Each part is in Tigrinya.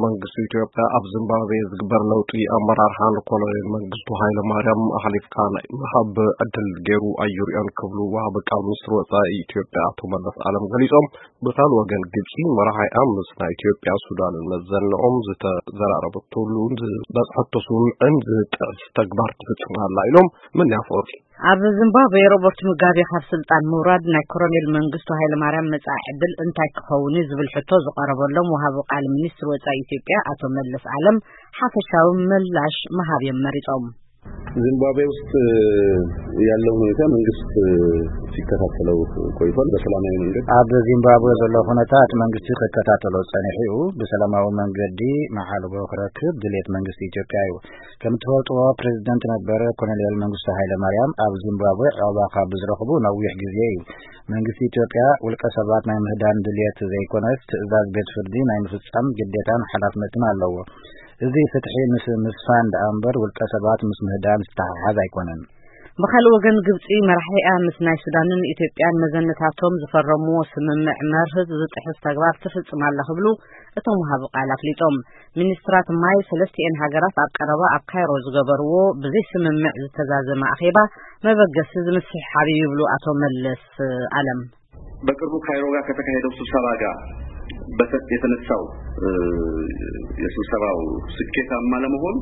መንግስቲ ኢትዮጵያ ኣብ ዚምባብዌ ዝግበር ለውጢ ኣመራርሓ ንኮሎኔል መንግስቱ ሃይለ ማርያም ኣሕሊፍካ ናይ ምሃብ ዕድል ገይሩ ኣይርእዮን ክብሉ ወሃቢ ቃል ሚኒስትሪ ወጻኢ ኢትዮጵያ ኣቶ መለስ ኣለም ገሊጾም። ብካልእ ወገን ግብጺ መራሒኣ ምስ ናይ ኢትዮጵያ ሱዳንን መዘንኦም ዝተዘራረበትሉ ዝበጽሐቶ ስምምዕን ዝጥሕስ ተግባር ትፍጽም ኣላ ኢሎም። ምን ያፈሩ ኣብ ዚምባብዌ ሮበርት ሙጋቤ ካብ ስልጣን ምውራድ ናይ ኮሎኔል መንግስቱ ሃይለማርያም መጻኢ ዕድል እንታይ ክኸውን እዩ ዝብል ሕቶ ዝቐረበሎም ወሃቢ ቃል ሚኒስትሪ ወጻኢ ኢትዮጵያ ኣቶ መለስ ኣለም ሓፈሻዊ ምላሽ ምሃብ እዮም መሪጾም። ዚምባብዌ ውስጥ ያለው ሁኔታ መንግስት ሲከታተለው ቆይቷል። በሰላማዊ መንገድ ኣብ ዚምባብዌ ዘሎ ኩነታት መንግስቲ ክከታተሎ ጸኒሑ እዩ። ብሰላማዊ መንገዲ መዓልቦ ክረክብ ድሌት መንግስቲ ኢትዮጵያ እዩ። ከም ትፈልጥዎ ፕሬዚደንት ነበረ ኮሎኔል መንግስቱ ሃይለ ማርያም ኣብ ዚምባብዌ ዕቑባ ካብ ዝረኽቡ ነዊሕ ግዜ እዩ። መንግስቲ ኢትዮጵያ ውልቀ ሰባት ናይ ምህዳን ድሌት ዘይኮነስ ትእዛዝ ቤት ፍርዲ ናይ ምፍጻም ግዴታን ሓላፍነትን ኣለዎ። እዚ ፍትሒ ምስ ምስፋን ደኣ እምበር ውልቀ ሰባት ምስ ምህዳን ዝተሓሓዝ ኣይኮነን። ብኻልእ ወገን ግብጺ መራሒኣ ምስ ናይ ሱዳንን ኢትዮጵያን መዘንታቶም ዝፈረምዎ ስምምዕ መርህ ዝጥሕስ ተግባር ትፍጽም ኣላ ክብሉ እቶም ወሃቢ ቃል ኣፍሊጦም። ሚኒስትራት ማይ ሰለስቲኤን ሃገራት ኣብ ቀረባ ኣብ ካይሮ ዝገበርዎ ብዘይ ስምምዕ ዝተዛዘመ ኣኼባ መበገሲ ዝምስሕሓብ እዩ ይብሉ ኣቶ መለስ ኣለም። በቅርቡ ካይሮ ጋር ከተካሄደው ስብሰባ ጋር በሰጥ የተነሳው የስብሰባው ስኬታማ ለመሆን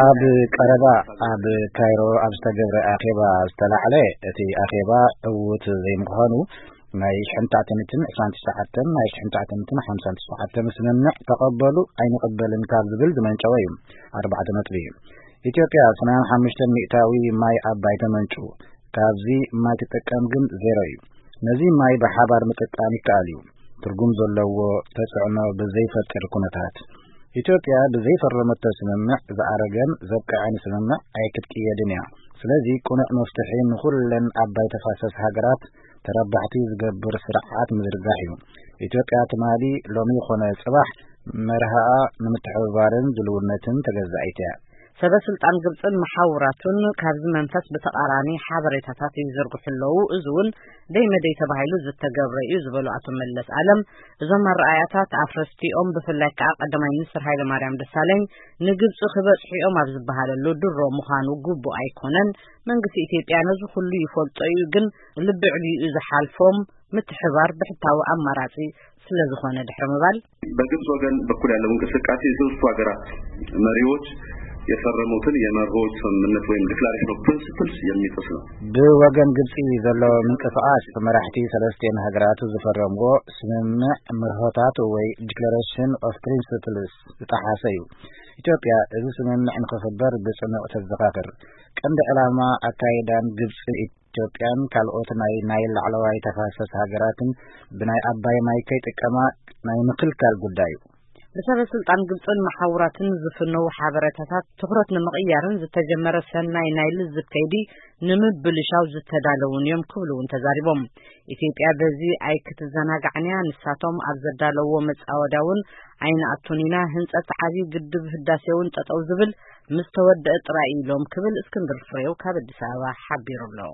ኣብ ቀረባ ኣብ ካይሮ ኣብ ዝተገብረ ኣኼባ ዝተላዕለ እቲ ኣኼባ ዕዉት ዘይምዃኑ ናይ ሽሕን ትሽዓተ ሚእትን ዕስራን ትሽዓተን ናይ ሽሕን ትሽዓተ ሚእትን ሓምሳን ትሽዓተን ስምምዕ ተቐበሉ ኣይንቕበልን ካብ ዝብል ዝመንጨወ እዩ። ኣርባዕተ ነጥቢ ኢትዮጵያ ሰማንያን ሓሙሽተን ሚእታዊ ማይ ኣባይ ተመንጩ። ካብዚ ማይ ትጥቀም ግን ዜሮ እዩ። ነዚ ማይ ብሓባር ምጥቃም ይከኣል እዩ። ትርጉም ዘለዎ ተጽዕኖ ብዘይፈጥር ኩነታት ኢትዮጵያ ብዘይፈረመቶ ስምምዕ ዝኣረገን ዘብቅዐን ስምምዕ ኣይክትቅየድን እያ። ስለዚ ቅኑዕ መፍትሒ ንኹለን ኣባይ ተፋሰስ ሃገራት ተረባሕቲ ዝገብር ስርዓት ምዝርጋሕ እዩ። ኢትዮጵያ ትማሊ ሎሚ ይኾነ ጽባሕ መርሃኣ ንምትሕብባርን ድልውነትን ተገዛኢት እያ። ሰበ ስልጣን ግብጽን መሓውራቱን ካብዚ መንፈስ ብተቓራኒ ሓበሬታታት ይዝርግሑ ኣለዉ። እዚ እውን ደይ መደይ ተባሂሉ ዝተገብረ እዩ ዝበሉ ኣቶ መለስ ኣለም፣ እዞም ኣረኣያታት ኣፍረስቲኦም ብፍላይ ከዓ ቀዳማይ ሚኒስትር ሃይለማርያም ደሳለኝ ንግብጺ ክበጽሑ እዮም ኣብ ዝበሃለሉ ድሮ ምዃኑ ግቡእ ኣይኮነን። መንግስቲ ኢትዮጵያ ነዚ ኩሉ ይፈልጦ እዩ፣ ግን ልቢ ዕልዩ እዩ ዝሓልፎም። ምትሕባር ብሕታዊ ኣማራጺ ስለዝኾነ ድሕሪ ምባል በግብጽ ወገን በኩል ያለው እንቅስቃሴ የሶስቱ ሀገራት መሪዎች የፈረሙትን የመርሆዎች ስምምነት ወይም ዲክላሬሽን ኦፍ ፕሪንስፕልስ የሚጥስ ነው። ብወገን ግብጺ ዘሎ ምንቅስቃስ መራሕቲ ሰለስቲኤን ሃገራት ዝፈረምዎ ስምምዕ መርሆታት ወይ ዲክላሬሽን ኦፍ ፕሪንስፕልስ ዝጠሓሰ እዩ። ኢትዮጵያ እዚ ስምምዕ ንክኽበር ብጽኑዕ ተዘኻኽር። ቀንዲ ዕላማ ኣካይዳን ግብጽን ኢትዮጵያን ካልኦት ናይ ናይል ላዕለዋይ ተፋሰስ ሃገራትን ብናይ ኣባይ ማይ ከይጥቀማ ናይ ምክልካል ጉዳይ እዩ። ብሰበ ስልጣን ግብጽን መሓውራትን ዝፍነዉ ሓበሬታታት ትኹረት ንምቕያርን ዝተጀመረ ሰናይ ናይ ልዝብ ከይዲ ንምብልሻው ዝተዳለውን እዮም ክብሉ እውን ተዛሪቦም። ኢትዮጵያ በዚ ኣይክትዘናጋዕን እያ። ንሳቶም ኣብ ዘዳለውዎ መጻወድያ እውን ኣይንኣቱን ኢና። ህንጸት ዓብዪ ግድብ ህዳሴ እውን ጠጠው ዝብል ምስ ተወደአ ጥራይ ኢሎም ክብል እስክንድር ፍሬው ካብ ኣዲስ ኣበባ ሓቢሩ ኣሎ።